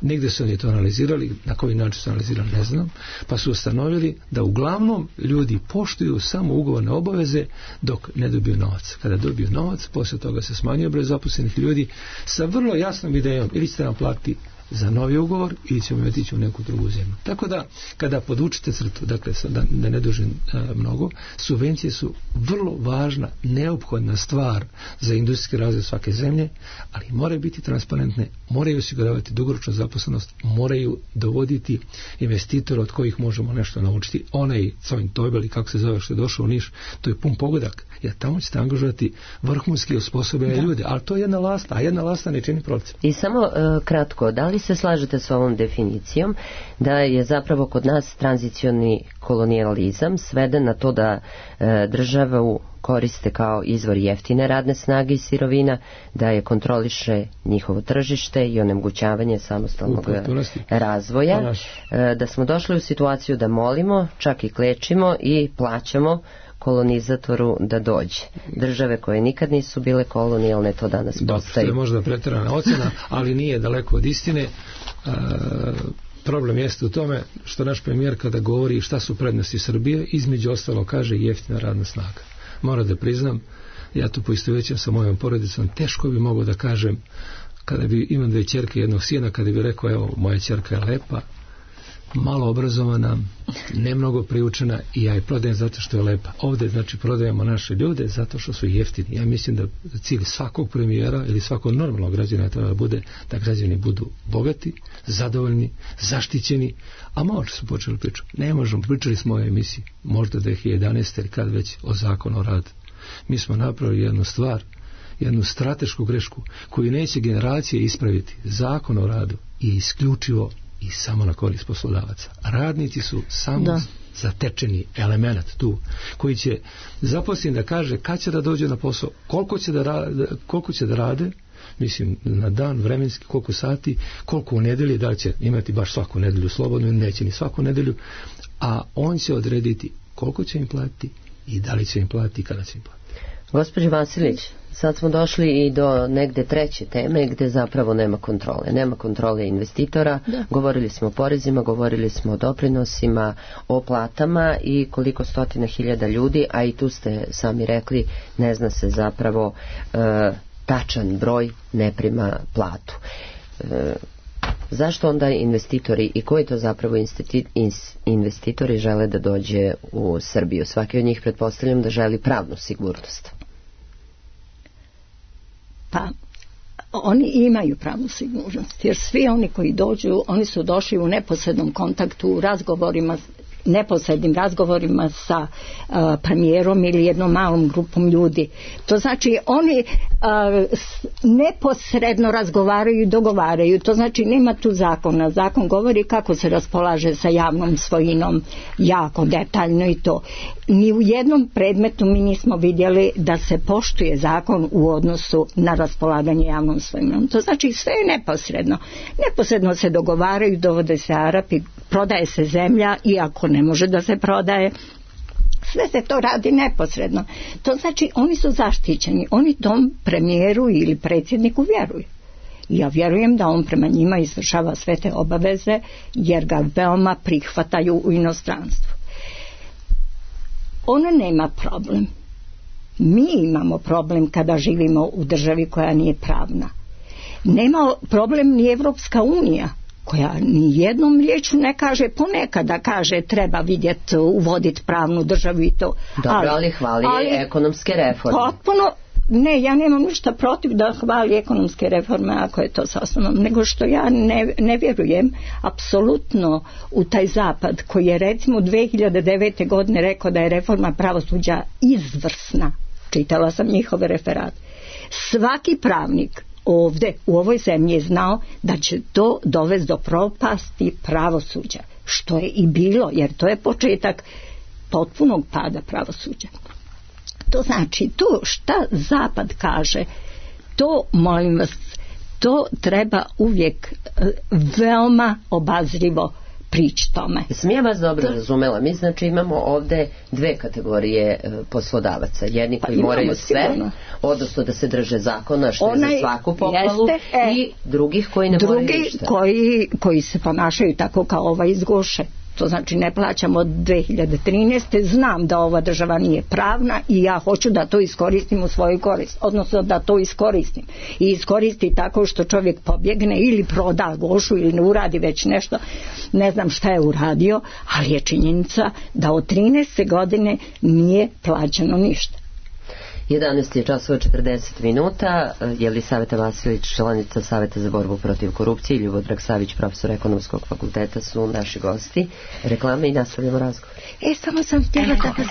negdje su oni to analizirali, na koji način su analizirali ne znam, pa su ustanovili da uglavnom ljudi poštuju samo ugovorne obaveze dok ne dobiju novac. Kada dobiju novac, poslije toga se smanjuje broj zaposlenih ljudi sa vrlo jasnom idejom, ili ćete nam platiti za novi ugovor ili ćemo otići u neku drugu zemlju. Tako da, kada podučite crtu, dakle, da ne dužim mnogo, subvencije su vrlo važna, neophodna stvar za industrijski razvoj svake zemlje, ali moraju biti transparentne, moraju osiguravati dugoročnu zaposlenost, moraju dovoditi investitora od kojih možemo nešto naučiti. Onaj Cojn Tojbel, ili kako se zove, što je došao u Niš, to je pun pogodak, jer tamo ćete angažovati vrhunski osposobljene ljude, ali to je jedna lasta, a jedna lasta ne čini proces. I samo kratko, da li se slažete s ovom definicijom da je zapravo kod nas tranzicioni kolonijalizam sveden na to da državu koriste kao izvor jeftine radne snage i sirovina, da je kontroliše njihovo tržište i onemogućavanje samostalnog razvoja, da smo došli u situaciju da molimo, čak i klečimo i plaćamo kolonizatoru da dođe. Države koje nikad nisu bile kolonijalne to danas postaju. To je možda pretjerana ocjena, ali nije daleko od istine. Problem jeste u tome što naš premijer kada govori šta su prednosti Srbije, između ostalo kaže jeftina radna snaga. Moram da priznam, ja tu poistovjećam sa mojom porodicom, teško bi mogao da kažem, kada bi imam 2 ćerke i 1 sina, kada bi rekao, evo, moja ćerka je lepa, malo obrazovana, ne mnogo priučena i ja je prodajem zato što je lepa. Ovdje znači prodajemo naše ljude zato što su jeftini. Ja mislim da cilj svakog premijera ili svakog normalnog građana treba da bude da građani budu bogati, zadovoljni, zaštićeni, a malo su počeli pričati. Ne možemo, pričali smo o emisiji, možda 2011. ili kad već o zakonu o radu. Mi smo napravili jednu stvar, jednu stratešku grešku koju neće generacije ispraviti. Zakon o radu je isključivo i samo na korist poslodavaca. Radnici su samo zatečeni element tu, koji će zaposliti da kaže kad će da dođe na posao, koliko će da rade, mislim na dan vremenski, koliko sati, koliko u nedelji, da li će imati baš svaku nedelju slobodno ili neće ni svaku nedelju, a on će odrediti koliko će im platiti i da li će im platiti i kada će im platiti. Gospođo Vasilić, sad smo došli i do negde treće teme gde zapravo nema kontrole. Nema kontrole investitora, govorili smo o porezima, govorili smo o doprinosima, o platama i koliko stotina hiljada ljudi, a i tu ste sami rekli, ne zna se zapravo tačan broj ne prima platu. Zašto onda investitori i koji to zapravo investitori žele da dođe u Srbiju? Svaki od njih pretpostavljam da želi pravnu sigurnost. Pa, oni imaju pravnu sigurnost, jer svi oni koji dođu, oni su došli u neposrednom kontaktu, u razgovorima, neposrednim razgovorima sa premijerom ili jednom malom grupom ljudi. To znači oni neposredno razgovaraju i dogovaraju. To znači nema tu zakona. Zakon govori kako se raspolaže sa javnom svojinom jako detaljno i to. Ni u jednom predmetu mi nismo vidjeli da se poštuje zakon u odnosu na raspolaganje javnom svojinom. To znači sve je neposredno. Neposredno se dogovaraju, dovode se Arapi, prodaje se zemlja, iako ne može da se prodaje. Sve se to radi neposredno. To znači oni su zaštićeni. Oni tom premijeru ili predsjedniku vjeruju. Ja vjerujem da on prema njima izvršava sve te obaveze jer ga veoma prihvataju u inostranstvu. Ona nema problem. Mi imamo problem kada živimo u državi koja nije pravna. Nema problem ni Evropska unija, koja ni jednom riječu ne kaže, ponekada kaže treba vidjeti, uvoditi pravnu državu i to. Dobro, ali hvali ekonomske reforme. Potpuno, ne, ja nemam ništa protiv da hvali ekonomske reforme ako je to sa osnovom, nego što ja ne vjerujem apsolutno u taj zapad koji je recimo 2009. godine rekao da je reforma pravosuđa izvrsna. Čitala sam njihove referate. Svaki pravnik ovdje u ovoj zemlji je znao da će to dovesti do propasti pravosuđa, što je i bilo, jer to je početak potpunog pada pravosuđa. To znači, to šta Zapad kaže, to, molim vas, To treba uvijek veoma obazrivo prići tome. Sam ja vas dobro razumela. Mi znači imamo ovde dve kategorije poslodavaca. Jedni koji moraju sve, odnosno da se drže zakona, što je za svaku pohvalu, i drugih koji ne moraju ništa. Koji se ponašaju tako kao ovaj iz Goše. To znači ne plaćamo od 2013. Znam da ova država nije pravna i ja hoću da to iskoristim u svoju korist. Odnosno da to iskoristim. I iskoristi tako što čovjek pobjegne ili proda Gošu ili ne uradi već nešto. Ne znam šta je uradio, ali je činjenica da od 13. godine nije plaćeno ništa. 11 je časova 40 minuta. Jelisaveta Vasilić, članica Saveta za borbu protiv korupcije, i Ljubodrag Savić, profesor Ekonomskog fakulteta, su naši gosti. Reklame i nastavljamo razgovor. Samo sam htjela da vas...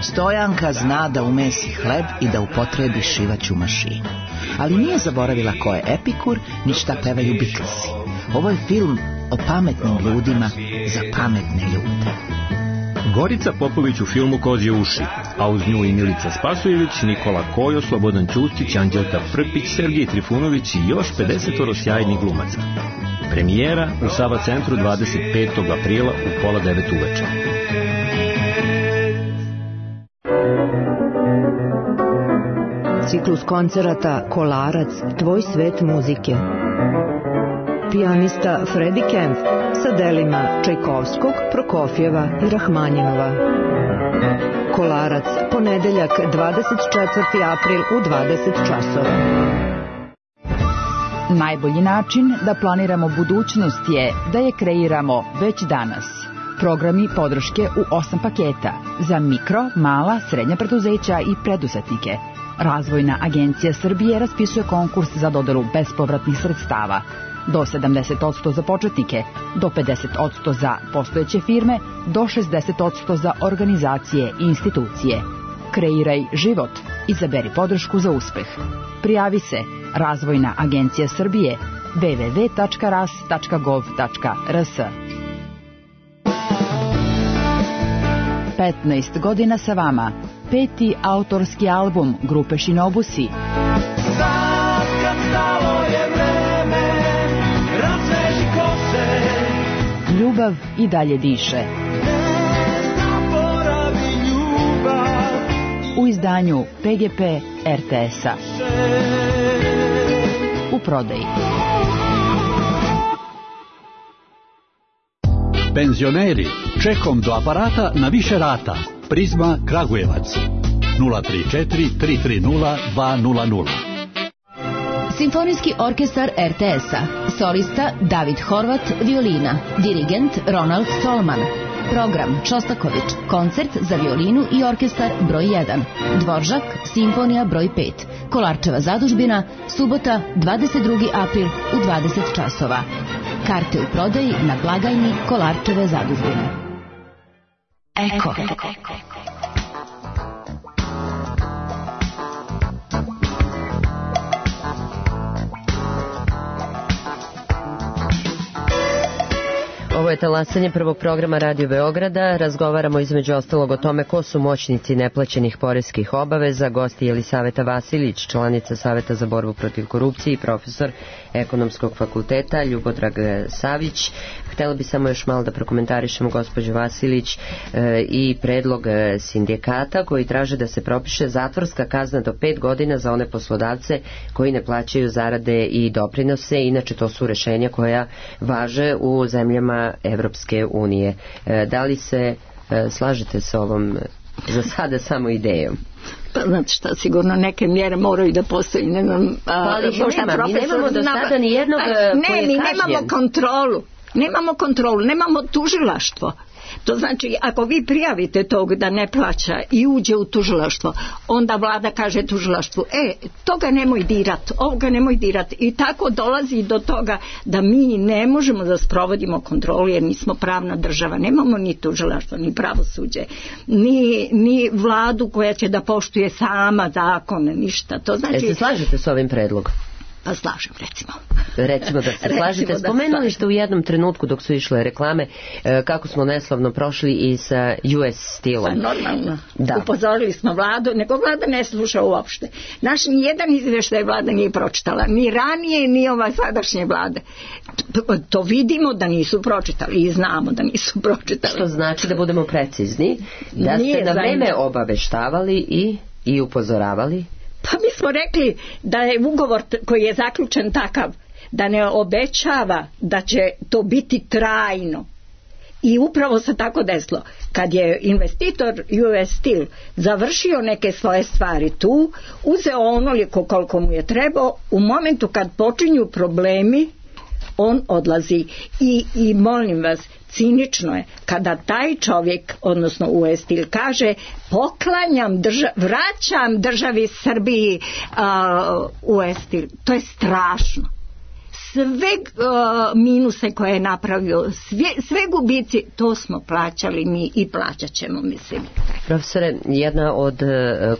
Stojanka zna da umesi hleb i da upotrebi šivaću mašinu. Ali nije zaboravila ko je Epikur, ni šta pevaju Beatlesi. Ovo je film o pametnim ljudima za pametne ljude. Gorica Popović u filmu Kozje uši, a uz nju i Milica Spasojević, Nikola Kojo, Slobodan Ćustić, Anđelka Prpić, Sergij Trifunović i još 50 sjajnih glumaca. Premijera u Sava centru 25. aprila u 8:30 uveče. Ciklus koncerata Kolarac, tvoj svet muzike. Pijanista Freddie Kempf sa delima Čajkovskog, Prokofjeva i Rahmanjinova. Kolarac, ponedeljak 24. april u 20 časova. Najbolji način da planiramo budućnost je da je kreiramo već danas. Programi podrške u 8 paketa za mikro, mala, srednja preduzeća i preduzetnike. Razvojna agencija Srbije raspisuje konkurs za dodelu bespovratnih sredstava. Do 70% za početnike, do 50% za postojeće firme, do 60% za organizacije i institucije. Kreiraj život. Izaberi podršku za uspeh. Prijavi se Razvojna agencija Srbije www.ras.gov.rs. 15 godina sa vama. 5. autorski album grupe Shinobusi. Ljubav i dalje diše. U izdanju PGP RTS-a. U prodaji. Penzioneri, čekom do aparata na više rata. Prizma Kragujevac 034 330 200. Simfonijski orkestar RTS-a. Solista David Horvat, violina. Dirigent Ronald Stolman. Program Čostaković. Koncert za violinu i orkestar broj 1. Dvoržak, simfonija broj 5. Kolarčeva zadužbina, subota 22. april u 20 časova. Karte u prodaji na blagajni Kolarčeve zadužbine. Eko. Ovo je talasanje prvog programa Radio Beograda. Razgovaramo između ostalog o tome ko su moćnici neplaćenih poreskih obaveza. Gosti Jelisaveta Vasilić, članica Saveta za borbu protiv korupcije i profesor Ekonomskog fakulteta, Ljubodrag Savić. Htela bi samo još malo da prokomentarišemo, gospođo Vasilić, i predlog sindikata koji traže da se propiše zatvorska kazna do 5 godina za one poslodavce koji ne plaćaju zarade i doprinose. Inače, to su rešenja koja važe u zemljama Evropske unije. Da li se slažete sa ovom za sada samo idejom? Pa znači šta, sigurno neke mjere moraju da postoji, ne znam, mi nemamo do sada ni jednog koji je kažnjen. Mi nemamo kontrolu, nemamo tužilaštvo. To znači, ako vi prijavite tog da ne plaća i uđe u tužilaštvo, onda vlada kaže tužilaštvu, toga nemoj dirat, ovoga nemoj dirat. I tako dolazi do toga da mi ne možemo da sprovodimo kontrolu jer nismo pravna država. Nemamo ni tužilaštvo, ni pravosuđe, ni vladu koja će da poštuje sama zakone, ništa. To znači... Se slažete s ovim predlogom? Pa slažem, recimo. Recimo da se slažete. Spomenuli ste u jednom trenutku dok su išle reklame kako smo neslavno prošli i sa US Steelom. Pa normalno. Da. Upozorili smo vladu, nego vlada ne sluša uopšte. Naš nijedan izvještaj vlada nije pročitala. Ni ranije, ni ova sadašnje vlade. To vidimo da nisu pročitali i znamo da nisu pročitali. Što znači da budemo precizni, da ste na vreme obaveštavali i upozoravali. Pa mi smo rekli da je ugovor koji je zaključen takav da ne obećava da će to biti trajno. I upravo se tako desilo. Kad je investitor US Steel završio neke svoje stvari tu, uzeo onoliko koliko mu je trebao, u momentu kad počinju problemi, on odlazi. I molim vas, cinično je kada taj čovjek, odnosno US Steel, kaže poklanjam vraćam državi Srbiji US Steel. To je strašno. Sve minuse koje je napravio, sve gubici, to smo plaćali mi i plaćat ćemo, mislim. Profesore, jedna od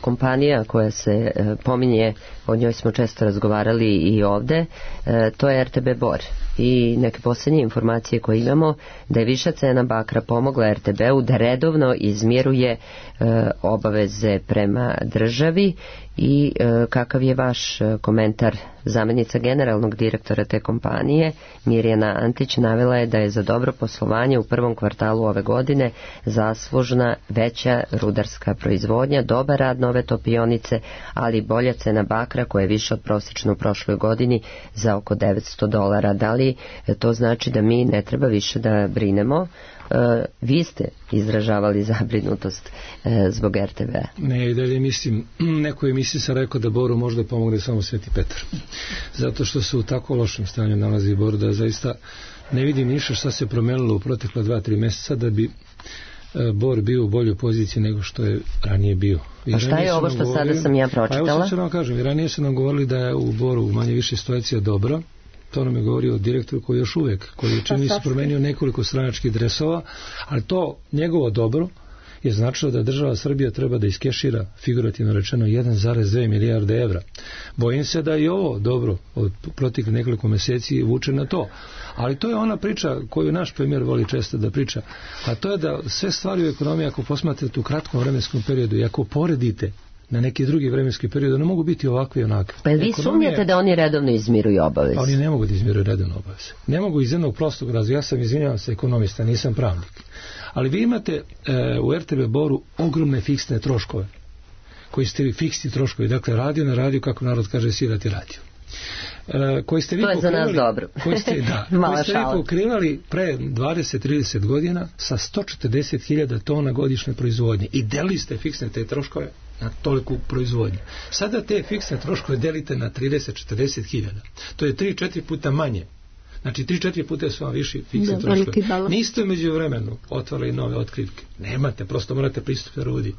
kompanija koja se pominje, o njoj smo često razgovarali i ovde, to je RTB Bor. I neke posljednje informacije koje imamo da je viša cena bakra pomogla RTB-u da redovno izmiruje obaveze prema državi. I kakav je vaš komentar? Zamjenica generalnog direktora te kompanije Mirjana Antić navela je da je za dobro poslovanje u prvom kvartalu ove godine zaslužna veća rudarska proizvodnja, dobar rad nove topionice, ali bolja cena bakra koja je više od prosječno u prošloj godini za oko $900. Da li to znači da mi ne treba više da brinemo? Vi ste izražavali zabrinutost zbog RTV-a. Ne, i dalje mislim, nekoj emisiji sam rekao da Boru možda pomogne samo Sveti Petar. Zato što se u tako lošem stanju nalazi Bor da zaista ne vidim ništa šta se promenilo u protekla 2-3 mjeseca da bi Bor bio u boljoj poziciji nego što je ranije bio. A šta je ovo što sada sam ja pročitala? Pa evo sad ću vam kažem, ranije su nam govorili da je u Boru manje više situacija dobra. To nam je govorio direktor koji još uvijek, koji je čini se promenio nekoliko stranačkih dresova, ali to njegovo dobro je značilo da država Srbija treba da iskešira, figurativno rečeno, 1,2 milijarde evra. Bojim se da i ovo dobro od proteklih nekoliko mjeseci vuče na to. Ali to je ona priča koju naš premijer voli često da priča, a to je da sve stvari u ekonomiji, ako posmatrate u kratkom vremenskom periodu i ako poredite na neki drugi vremenski period, ne mogu biti ovakvi i onakvi. Pa vi sumnjate da oni redovno izmiruju obaveze? Pa oni ne mogu da izmiruju redovno obaveze. Ne mogu iz jednog prostog razloga. Ja sam, izvinjavam se, ekonomista, nisam pravnik. Ali vi imate u RTV Boru ogromne fiksne troškove, koji ste vi fiksni troškovi. Dakle, radio na radio, kako narod kaže, svirati radio. Koji ste vi to je za nas dobro. Koji ste vi pokrivali pre 20-30 godina sa 140.000 tona godišnje proizvodnje i delili ste fiksne te troškove na toliku proizvodnju. Sada te fiksne troškove delite na 30-40.000. To je 3-4 puta manje. Znači 3-4 puta su vam viši fiksni troškovi. Niste među vremenu otvarali nove otkrivke. Nemate, prosto morate pristupiti rudi.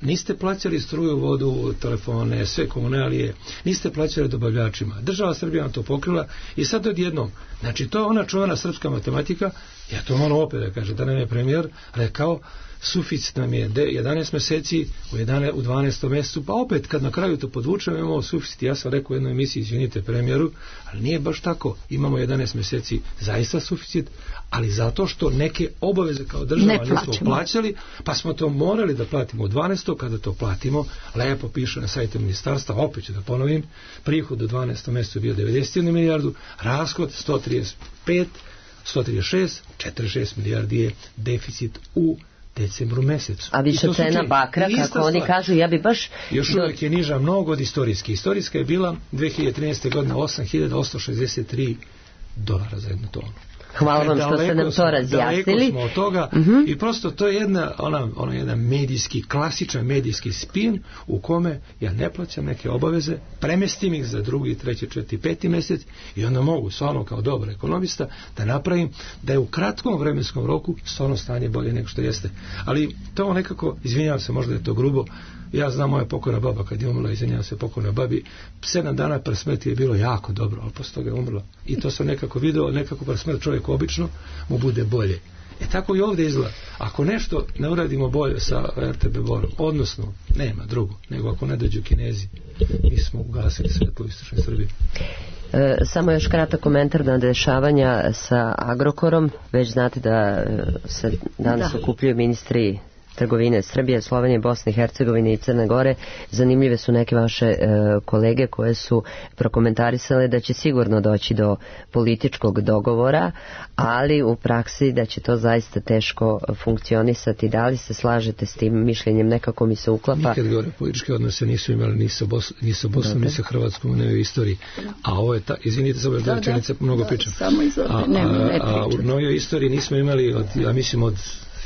Niste plaćali struju, vodu, telefone, sve komunalije, niste plaćali dobavljačima. Država Srbija vam to pokrila i sad odjednom, znači to je ona čuvena srpska matematika, ja to moram opet da kaže, da nam je premijer rekao, suficit nam je 11 mjeseci, u 12. mjesecu, pa opet kad na kraju to podvučemo imamo suficit. Ja sam rekao u jednoj emisiji, izvinite premijeru, ali nije baš tako, imamo 11 mjeseci zaista suficit, ali zato što neke obaveze kao država nismo plaćali, pa smo to morali da platimo u 12. Kada to platimo, lepo piše na sajtu ministarstva, opet ću da ponovim, prihod u 12. mjesecu bio 91 milijardu, rashod 46 milijardi je deficit u decembru mesecu. A više cena bakra, kako oni kažu, ja bi baš... Još uvijek je niža mnogo od istorijske. Istorijska je bila 2013. godine $8.863 za jednu tonu. Hvala vam što ste nam to razjasnili. Daleko smo od toga i prosto to je jedan medijski, klasičan medijski spin u kome ja ne plaćam neke obaveze, premestim ih za 2., 3., 4., 5. mjesec i onda mogu stvarno kao dobar ekonomista da napravim da je u kratkom vremenskom roku stvarno stanje bolje nego što jeste. Ali to nekako, izvinjavam se, možda je to grubo, Ja znam moja pokojna baba kad je umrla, izvinjavam se pokojna babi, 7 dana pre smrti je bilo jako dobro, ali posle toga je umrla. I to sam nekako video, nekako pre smrti čovjeku obično mu bude bolje. Tako i ovdje izgleda. Ako nešto ne uradimo bolje sa RTB Borom, odnosno nema drugo, nego ako ne dođu Kinezi, mi smo ugasili svetlo u istočnoj Srbiji. Samo još kratak komentar na dešavanja sa Agrokorom. Već znate da se danas okupljuju ministri trgovine Srbije, Slovenije, Bosne i Hercegovine i Crne Gore. Zanimljive su neke vaše kolege koje su prokomentarisale da će sigurno doći do političkog dogovora, ali u praksi da će to zaista teško funkcionisati. Da li se slažete s tim mišljenjem? Nekako mi se uklapa. Nikad gore političke odnose nisu imali ni sa Bosnom, ni sa Hrvatskom u istoriji. A ovo je izvinite samo još rečenice, mnogo pričam. A u novoj istoriji nismo imali od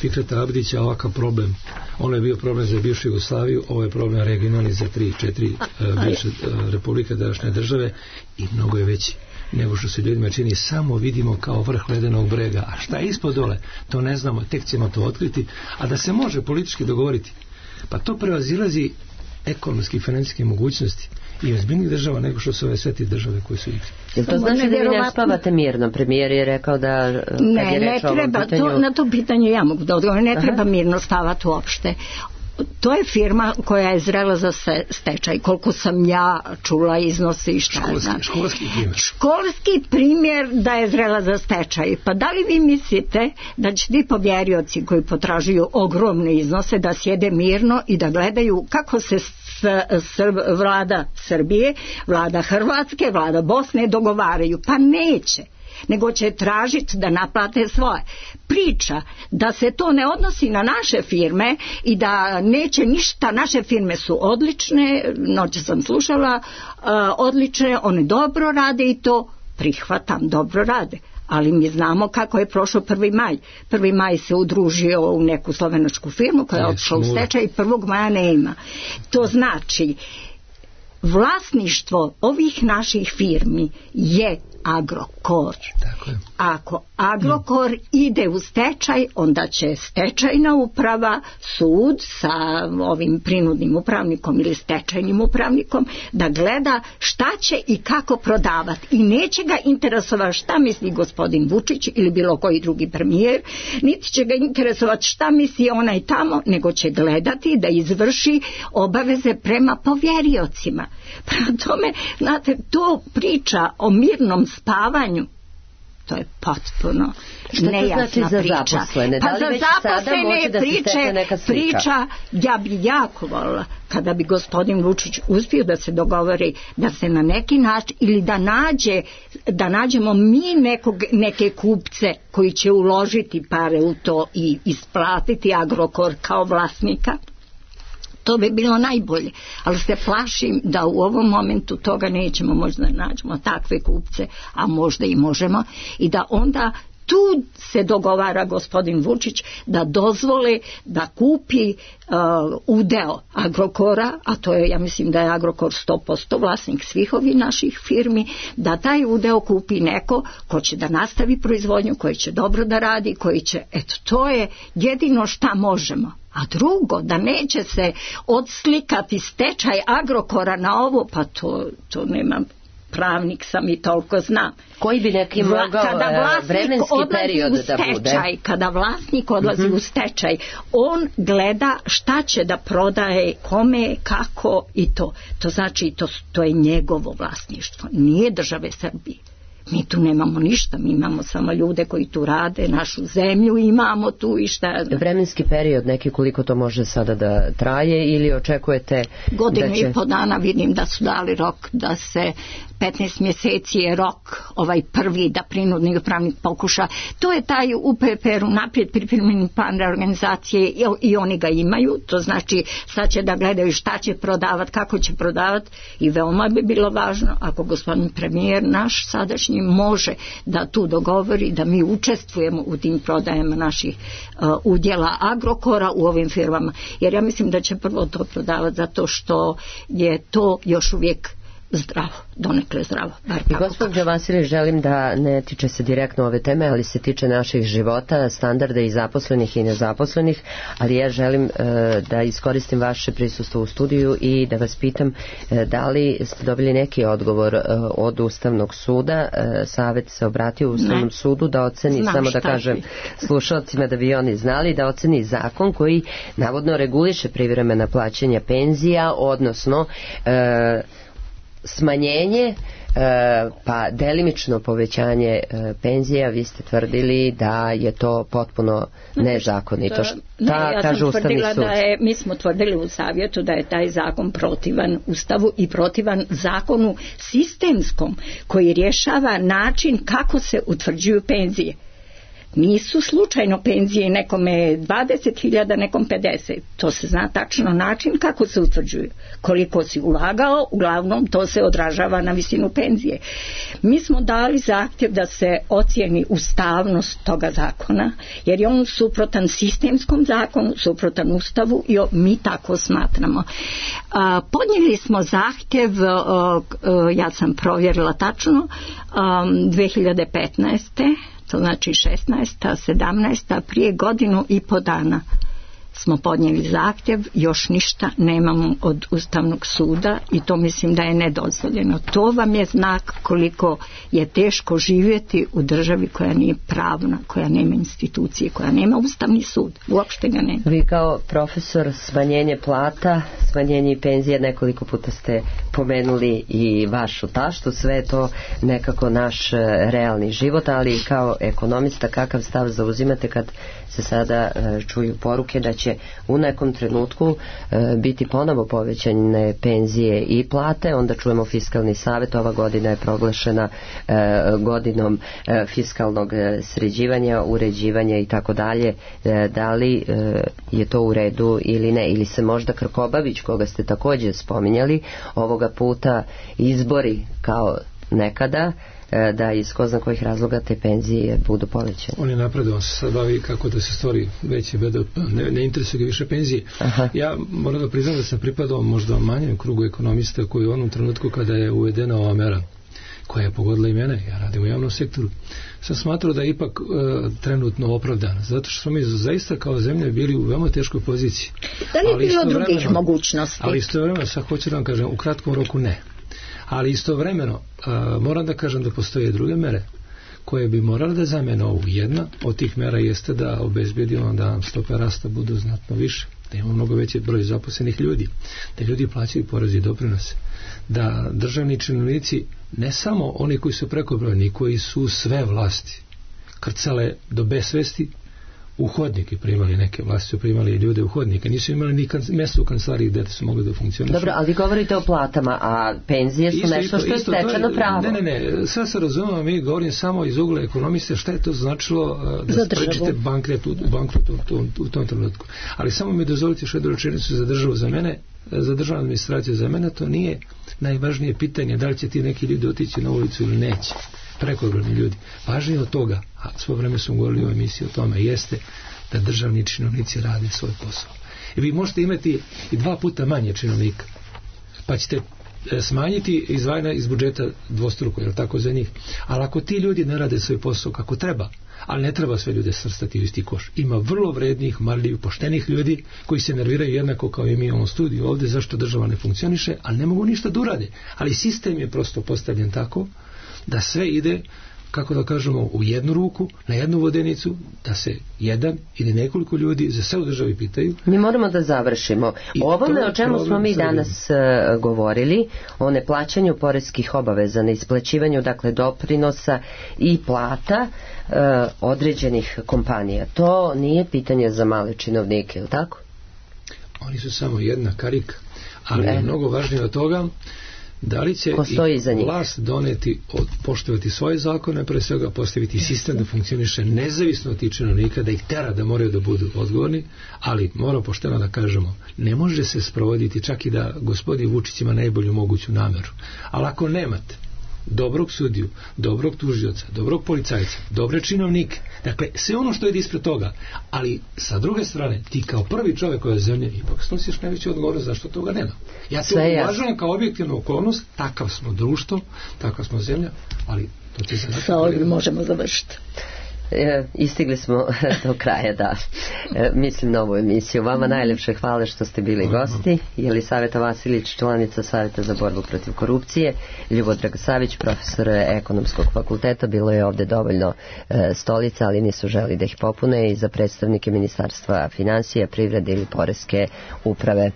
Fikreta Abdića ovakav problem. Ono je bio problem za bivšu Jugoslaviju, ovo je problem regionalni za 3-4 bivše republike današnje države i mnogo je veći nego što se ljudima čini. Samo vidimo kao vrh ledenog brega, a šta je ispod dole to ne znamo, tek ćemo to otkriti. A da se može politički dogovoriti, pa to prevazilazi ekonomski i financijske mogućnosti i ozbiljnih država nego što su ove sve te države koje su igre. Jel to znači da vi ne spavate mirno? Premijer je rekao da ne treba, na to pitanje ja mogu da odgovorim, ne treba mirno spavati uopšte. To je firma koja je zrela za stečaj, koliko sam ja čula iznosi i šta znam. Školski primjer da je zrela za stečaj. Pa da li vi mislite da će ti povjerioci koji potražuju ogromne iznose da sjede mirno i da gledaju kako se vlada Srbije, vlada Hrvatske, vlada Bosne dogovaraju? Pa neće, nego će tražiti da naplate svoje. Priča da se to ne odnosi na naše firme i da neće ništa, naše firme su odlične, noće sam slušala, odlične, one dobro rade i to prihvatam, dobro rade. Ali mi znamo kako je prošao 1. maj. 1. maj se udružio u neku slovenačku firmu koja je otišla u stečaj i 1. maja nema. To znači vlasništvo ovih naših firmi je Agrokor. Ako Agrokor ide u stečaj, onda će stečajna uprava, sud sa ovim prinudnim upravnikom ili stečajnim upravnikom da gleda šta će i kako prodavati. I neće ga interesovati šta misli gospodin Vučić ili bilo koji drugi premijer, niti će ga interesovati šta misli onaj tamo, nego će gledati da izvrši obaveze prema povjeriocima. Prema tome, znate, to priča o mirnom spavanju, to je potpuno nejasna priča. Pa za zaposlene priča, ja bi jako volila kada bi gospodin Vučić uspio da se dogovori da se na neki način ili da nađemo mi neke kupce koji će uložiti pare u to i isplatiti Agrokor kao vlasnika. To bi bilo najbolje, ali se plašim da u ovom momentu toga nećemo, možda nađemo takve kupce, a možda i možemo, i da onda tu se dogovara gospodin Vučić da dozvole da kupi udeo Agrokora, a to je, ja mislim da je Agrokor 100% vlasnik svih ovih naših firmi, da taj udeo kupi neko ko će da nastavi proizvodnju, koji će dobro da radi, koji će, eto, to je jedino šta možemo. A drugo, da neće se odslikati stečaj Agrokora na ovo, pa to nemam, pravnik sam i toliko znam. Koji bi neki mogao vremenski period da bude? Kada vlasnik odlazi u stečaj, on gleda šta će da prodaje, kome, kako i to. To znači, to je njegovo vlasništvo, nije države Srbije. Mi tu nemamo ništa, mi imamo samo ljude koji tu rade, našu zemlju imamo tu i šta. Vremenski period, neki koliko to može sada da traje ili očekujete godinu i po dana? Vidim da su dali rok da se 15 mjeseci je rok ovaj prvi da prinudni upravnik pokuša. To je taj UPPR naprijed pripremljeni plan reorganizacije i oni ga imaju. To znači sad će da gledaju šta će prodavati, kako će prodavati i veoma bi bilo važno ako gospodin premijer naš sadašnji može da tu dogovori da mi učestvujemo u tim prodajama naših udjela Agrokora u ovim firmama. Jer ja mislim da će prvo to prodavati zato što je to još uvijek zdravo, donekle zdravo. I gospođo Vasilij, želim da ne tiče se direktno ove teme, ali se tiče naših života, standarda i zaposlenih i nezaposlenih, ali ja želim da iskoristim vaše prisustvo u studiju i da vas pitam da li ste dobili neki odgovor od Ustavnog suda. Savet se obratio Ustavnom sudu da oceni, samo da kažem slušalcima da bi oni znali, da oceni zakon koji navodno reguliše privremena plaćanja penzija, odnosno smanjenje pa delimično povećanje penzija. Vi ste tvrdili da je to potpuno nezakonito. Ja sam tvrdila da je, mi smo tvrdili u savjetu da je taj zakon protivan Ustavu i protivan zakonu sistemskom koji rješava način kako se utvrđuju penzije. Nisu slučajno penzije, nekome 20.000, nekom 50. To se zna tačno način kako se utvrđuju. Koliko si ulagao, uglavnom to se odražava na visinu penzije. Mi smo dali zahtjev da se ocijeni ustavnost toga zakona, jer je on suprotan sistemskom zakonu, suprotan Ustavu i mi tako smatramo. Podnijeli smo zahtjev, ja sam provjerila tačno, 2015. To znači 16. 17. prije godinu i po dana smo podnijeli zahtjev, još ništa nemamo od Ustavnog suda i to mislim da je nedozvoljeno. To vam je znak koliko je teško živjeti u državi koja nije pravna, koja nema institucije, koja nema Ustavni sud, uopšte ga nema. Vi kao profesor, smanjenje plata, smanjenje penzije, nekoliko puta ste pomenuli i vašu taštu, sve je to nekako naš realni život, ali kao ekonomista kakav stav zauzimate kad se sada čuju poruke da će u nekom trenutku biti ponovo povećane penzije i plate, onda čujemo Fiskalni savet, ova godina je proglašena godinom fiskalnog sređivanja, uređivanja i tako dalje. Da li je to u redu ili ne? Ili se možda Krkobabić, koga ste također spominjali, ovoga puta izbori kao nekada, da iz ko zna kojih razloga te penzije budu povećane. On je napredovan, se sad bavi kako da se stvori veći BDP, ne interesuje ga više penzije. Ja moram da priznam da sam pripadao možda manjem krugu ekonomista koji u onom trenutku kada je uvedena ova mera koja je pogodila i mene, ja radim u javnom sektoru, sam smatrao da je ipak trenutno opravdana, zato što smo mi zaista kao zemlja bili u veoma teškoj poziciji. Da li je bilo drugih mogućnosti? Ali istovremeno, sad hoću da vam kažem, u kratkom roku ne. Ali istovremeno moram da kažem da postoje druge mere koje bi morale da zamene ovu. Jedna od tih mera jeste da obezbedimo da nam stope rasta budu znatno više, da imamo mnogo veći broj zaposlenih ljudi, da ljudi plaćaju poreze i doprinose, da državni činovnici, ne samo oni koji su prekobrojni, koji su sve vlasti krcale do besvesti, u hodnike primali, neke vlasti su primali ljude u hodnike, nisu imali ni mjesto u kancelariji gdje su mogli da funkcionišu. Dobro, ali govorite o platama, a penzije su nešto što je stečeno pravo. Ne, sve se razumemo, mi govorim samo iz ugla ekonomiste šta je to značilo da sprečite bankrot u tom trenutku. Ali samo mi dozvolite još jednu rečenicu za državu, za mene, za državnu administraciju, za mene to nije najvažnije pitanje da li će ti neki ljudi otići na ulicu ili neće. Prekobrojni ljudi. Važnije od toga, a svo vreme smo govorili u emisiji o tome, jeste da državni činovnici rade svoj posao. I vi možete imati i 2 puta manje činovnika, pa ćete smanjiti izdvajanja iz budžeta dvostruko, jer tako za njih. Ali ako ti ljudi ne rade svoj posao kako treba, ali ne treba sve ljude svrstati u isti koš. Ima vrlo vrednih, marljivih, poštenih ljudi koji se nerviraju jednako kao i mi u ovom studiju ovdje zašto država ne funkcioniše, ali ne mogu ništa da urade. Ali sistem je prosto postavljen tako da sve ide, kako da kažemo, u jednu ruku, na jednu vodenicu, da se jedan ili nekoliko ljudi za sve u državi pitaju. Mi moramo da završimo. O ovome o čemu smo mi danas govorili, o neplaćanju poreskih obaveza, na isplaćivanju dakle doprinosa i plata određenih kompanija. To nije pitanje za male činovnike, je li tako? Oni su samo jedna karika, ali je mnogo važnije od toga da li će vlast doneti, poštovati svoje zakone, pre svega postaviti sistem da funkcioniše nezavisno od tih činovnika, da ih tera da moraju da budu odgovorni, ali moramo pošteno da kažemo, ne može se sprovoditi čak i da gospodin Vučić ima najbolju moguću nameru. Ali ako nemate dobrog sudiju, dobrog tužioca, dobrog policajca, dobre činovnike. Dakle, sve ono što ide ispred toga. Ali, sa druge strane, ti kao prvi čovjek ove zemlje ipak snosiš najveću odgovornost zašto toga nema. Ja to uvažujem kao objektivnu okolnost, takav smo društvo, takva smo zemlja, ali to će se... Sa ovim možemo završiti. Istigli smo do kraja, da. Mislim na ovu emisiju. Vama najlepše hvala što ste bili gosti. Jelisaveta Vasilić, članica Saveta za borbu protiv korupcije, Ljubodrag Savić, profesor ekonomskog fakulteta. Bilo je ovdje dovoljno stolica, ali nisu želi da ih popune, i za predstavnike Ministarstva financija, privrede ili poreske uprave.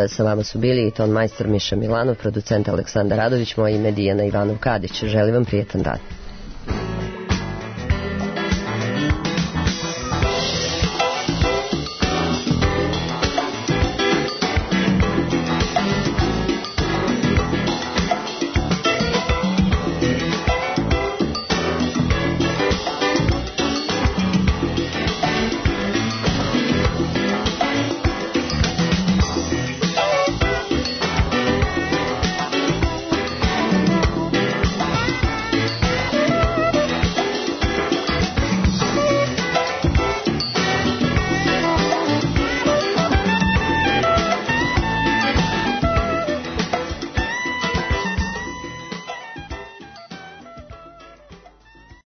Sa vama su bili i ton majstor Miša Milanov, producent Aleksandar Radović, moje ime Dijana Ivanov Kadić. Želim vam prijetan dan.